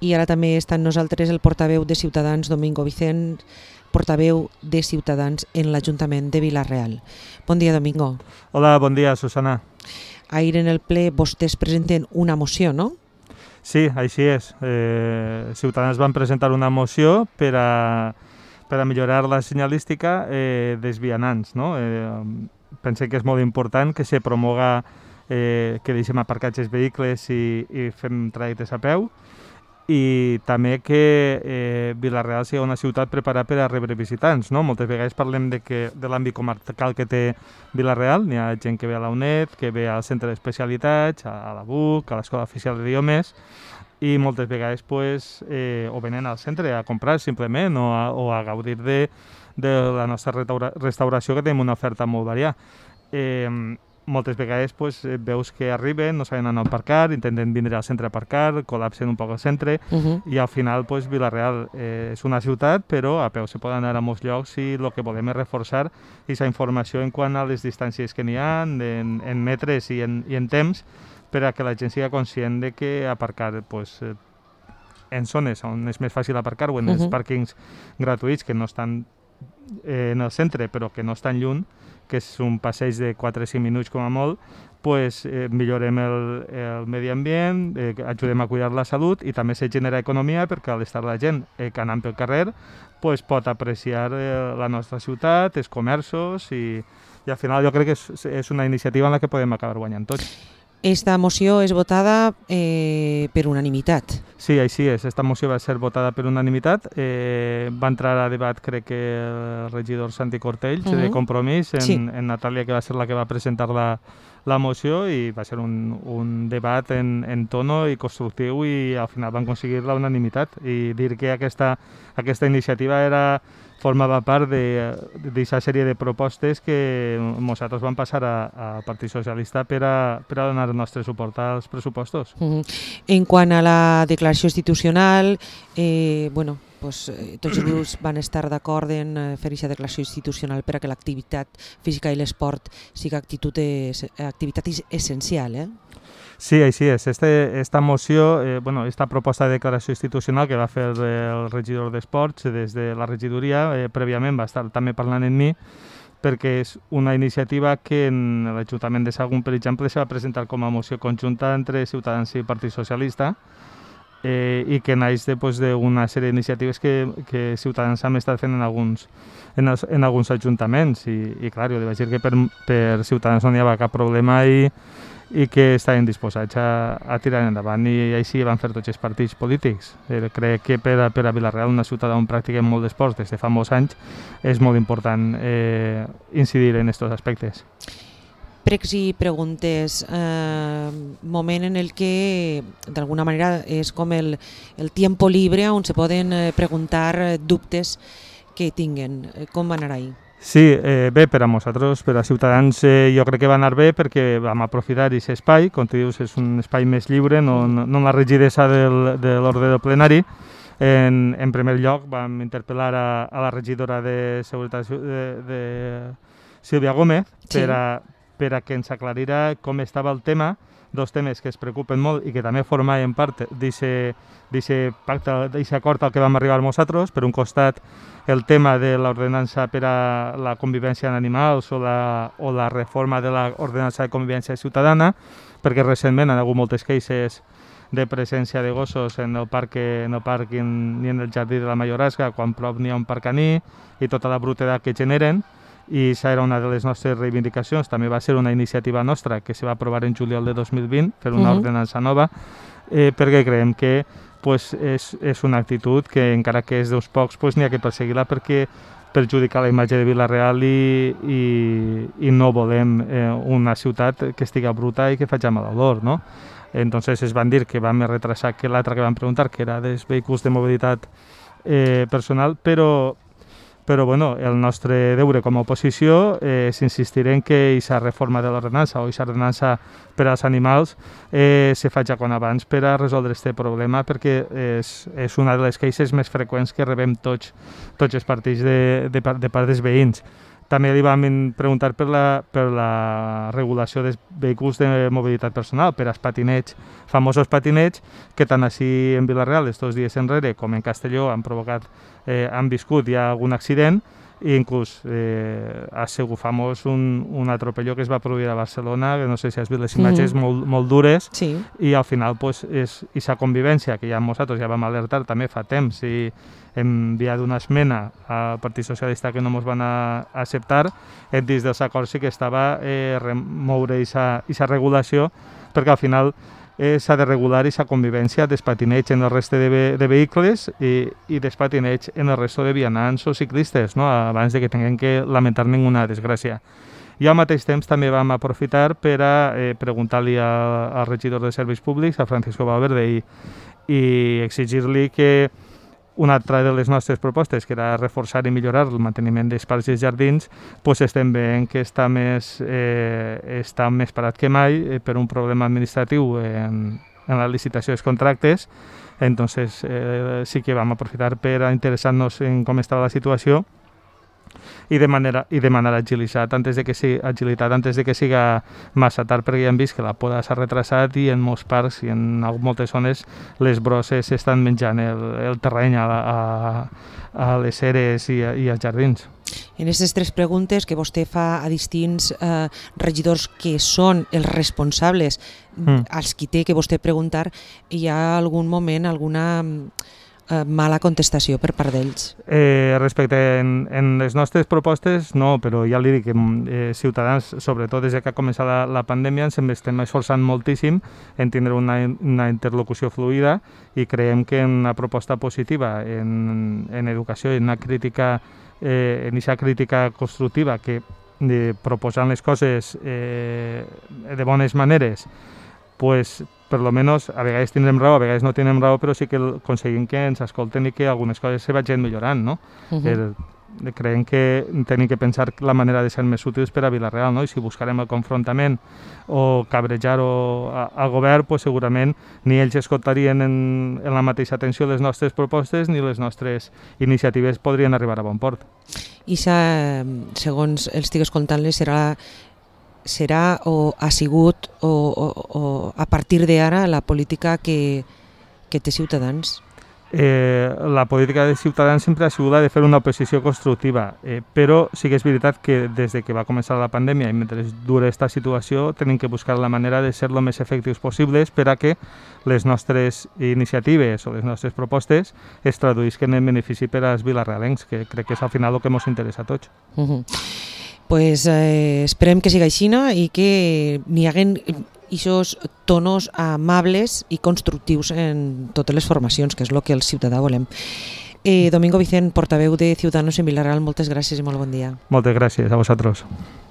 I ara també està amb nosaltres el portaveu de Ciutadans, Domingo Vicent, portaveu de Ciutadans en l'Ajuntament de Vila-real. Bon dia, Domingo. Hola, bon dia, Susana. Ahir en el ple vostès presenten una moció, no? Sí, així és. Ciutadans van presentar una moció per a millorar la senyalística dels vianants. No? Pensem que és molt important que se promoga que deixem aparcats els vehicles i fem trajectes a peu, i també que Vila-real sigui una ciutat preparada per a rebre visitants. No? Moltes vegades parlem de l'àmbit comarcal que té Vila-real. N'hi ha gent que ve a la UNED, que ve al centre d'especialitats, a la BUC, a l'Escola Oficial d'Idiomes, i moltes vegades o venen al centre a comprar simplement o a gaudir de la nostra restauració, que tenim una oferta molt variada. Moltes vegades veus que arriben, no saben on aparcar, intenten vindre al centre a aparcar, col·lapsen un poc el centre, i al final Vila-real és una ciutat, però a peu se poden anar a molts llocs, i el que volem és reforçar aquesta informació en quant a les distàncies que n'hi ha, en metres i en temps, per a que la gent sigui conscient de que aparcar en zones on és més fàcil aparcar, o en els pàrquings gratuïts que no estan en el centre però que no estan lluny, que és un passeig de 4 o 5 minuts com a molt, millorem el medi ambient, ajudem a cuidar la salut, i també se genera economia, perquè al estar la gent que anant pel carrer pot apreciar la nostra ciutat, els comerços, i al final jo crec que és una iniciativa en la que podem acabar guanyant tots. Esta moció és votada per unanimitat. Sí, així és. Esta moció va ser votada per unanimitat. Va entrar a debat, crec que el regidor Santi Cortells, de Compromís, en Natàlia, que va ser la que va presentar la moció, i va ser un debat en tono i constructiu, i al final van aconseguir la unanimitat. I dir que aquesta iniciativa formava part d'aquesta sèrie de propostes que nosaltres vam passar al Partit Socialista per a donar el nostre suport als pressupostos. En quant a la declaració institucional, tots els grups van estar d'acord en fer aquesta declaració institucional per a que l'activitat física i l'esport sigui activitat essencial, Sí, així és. Esta moció, esta proposta de declaració institucional que va fer el regidor d'Esports des de la regidoria, prèviament va estar també parlant amb mi, perquè és una iniciativa que en l'Ajuntament de Sagunt, per exemple, se va presentar com a moció conjunta entre Ciutadans i Partit Socialista, i que naix d'una sèrie d'iniciatives que Ciutadans hem estat fent en alguns ajuntaments, i clar, jo li vaig dir que per Ciutadans no hi havia cap problema i que estaven disposats a tirar endavant, i així van fer tots els partits polítics. Crec que per a Vila-real, una ciutat on practiquem molt d'esports des de fa molts anys, és molt important incidir en aquests aspectes. Pregs i preguntes, moment en el que d'alguna manera és com el tiempo libre on se poden preguntar dubtes que tinguen. Com va anar ahir? Sí, bé, per a nosaltres, per a Ciutadans, jo crec que va anar bé, perquè vam aprofitar aquest espai, com tu dius, és un espai més lliure, no la rigidesa de l'ordre del plenari. En primer lloc vam interpel·lar a la regidora de Seguretat, Sílvia Gómez, per a que ens aclarira com estava el tema, dos temes que es preocupen molt i que també formaven part d'aquest pacte, d'aquest acord al que vam arribar nosaltres. Per un costat, el tema de l'ordenança per a la convivència en animals o la reforma de l'ordenança de convivència ciutadana, perquè recentment han hagut moltes queixes de presència de gossos en el pàrquing ni en el jardí de la Majoresca, quan prop n'hi ha un parc caní, i tota la brutedat que generen. I això era una de les nostres reivindicacions. També va ser una iniciativa nostra que se va aprovar en juliol de 2020, fer una ordenança nova, perquè creiem que és una actitud que, encara que és d'uns pocs, n'hi ha que perseguir-la, perquè perjudica la imatge de Vila-real i no volem una ciutat que estigui bruta i que faci mal olor, no? Entonces es van dir que va més retrasat que l'altre que vam preguntar, que era dels vehicles de mobilitat personal, però el nostre deure com a oposició és insistir en que aquesta reforma de l'ordenança o aquesta ordenança per als animals se faci quan abans per a resoldre aquest problema, perquè és una de les queixes més freqüents que rebem tots els partits de part dels veïns, També li vam preguntar per la regulació dels vehicles de mobilitat personal, per als patinets, famosos patinets, que tant així en Vila-real, estos dies enrere, com en Castelló, han viscut ja algun accident, i inclús ha sigut famós un atropello que es va produir a Barcelona, que no sé si has vist les imatges, molt dures, Sí. i al final és aquesta convivència que ja nosaltres ja vam alertar també fa temps i hem enviat una esmena al Partit Socialista que no ens van acceptar. Dins dels acords sí que estava remoure aquesta regulació, perquè al final s'ha de regular aquesta convivència dels patinets en el reste de vehicles i dels patinets en el resto de vianants o ciclistes, no? Abans de que tinguem que lamentar ninguna desgràcia. I al mateix temps també vam aprofitar per a preguntar-li al regidor de Serveis Públics, a Francisco Valverde, i exigir-li que una altra de les nostres propostes, que era reforçar i millorar el manteniment dels parcs i jardins, doncs estem veient que està més parat que mai per un problema administratiu en la licitació dels contractes. Entonces sí que vam aprofitar per a interessar-nos en com estava la situació i demanar agilitat antes de que siga massa tard, perquè ja hem vist que la poda s'ha retrasat i en molts parcs i en moltes zones les brosses estan menjant el terreny a les eres i als jardins. En aquestes 3 preguntes que vostè fa a distints regidors que són els responsables als qui té que vostè preguntar, hi ha algun moment, alguna mala contestació per part d'ells? Respecte en les nostres propostes, no, però ja li dic que Ciutadans, sobretot des que ha començat la pandèmia, ens estem esforçant moltíssim en tindre una interlocució fluida i creiem que una proposta positiva en educació i en aquesta crítica constructiva que proposant les coses de bones maneres, pues, per lo menos a vegades tindrem raó, a vegades no tindrem raó, però sí que aconseguim que ens escolten i que algunes coses se vagin millorant, no? Creiem que tenim que pensar la manera de ser més útils per a Vila-real, no? I si buscarem el confrontament o cabrejar al govern, pues segurament ni ells escoltarien en la mateixa atenció les nostres propostes ni les nostres iniciatives podrien arribar a bon port. I segons el estic escoltant-les, serà o ha sigut o a partir d'ara la política que té Ciutadans? La política de Ciutadans sempre ha sigut la de fer una oposició constructiva, però sí que és veritat que des que va començar la pandèmia i mentre dura aquesta situació tenim que buscar la manera de ser el més efectius possibles per a que les nostres iniciatives o les nostres propostes es traduïsquen en benefici per als vilarealencs, que crec que és al final el que ens interessa a tots. Pues esperem que siga així i que n'hi haguen aquests tonos amables i constructius en totes les formacions, que és el que el ciutadà volem. Domingo Vicent, portaveu de Ciudadanos en Vila-real, moltes gràcies i molt bon dia. Moltes gràcies a vosaltres.